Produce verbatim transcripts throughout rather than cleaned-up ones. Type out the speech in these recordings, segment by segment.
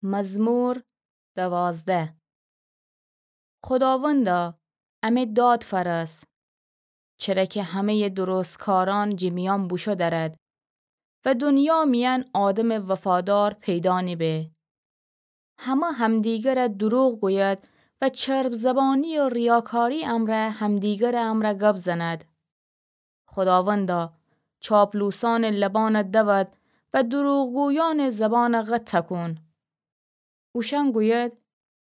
مزمور دوازده. خوداوندا، امه داد فأرس، چره کی همه‌یٚ درستکارأن جٚه میأن بوشو درد و دونیا میأن آدمٚ وفادار پیدا نیبه. همه همدیگره دروغ گوید و چرب‌زبانی و ریاکاری امرأ همدیگرٚ امرأ گب زند. خوداوندا، چاپلوسأنٚ لبأن دود و دروغگویأنٚ زبأن قطع کون. اوشأن گوید،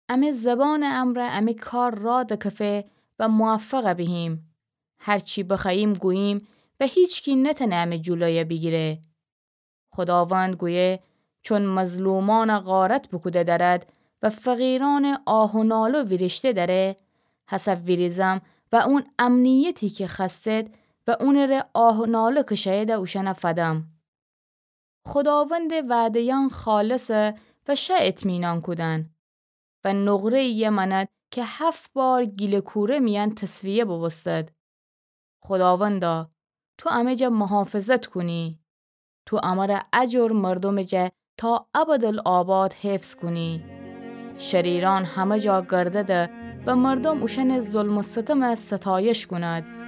امه زبانٚ امرأ امه کار راه دکفه و موفق بیهیم. هر چی بخوأییم گوییم و هیچکی نتأنه امه جلوی بیگیره. خوداوند گویه، چون مظلومأن غارت بوکوده درد و فقیرأنٚ آه و ناله ویریشته دره، هسه ویریزم و اون امنیتی کی خوأستید و اونٚره آه و ناله کشه‌ییده اوشأن فدم. خوداوندٚ وعده‌یأن خالصه و شأ اطمینان کودن و نقره‌یی مأند کی هفت بار گیلٚ کوره میأن تصفیه بوبوستد. خوداوندا، تو امه جا محافظت کونی. تو امره ا جور مردومٚ جا تا ابدالآباد حفظ کونی. شریرأن همه جا گردده و مردوم اوشأنٚ ظلم و ستم ستایش کونید.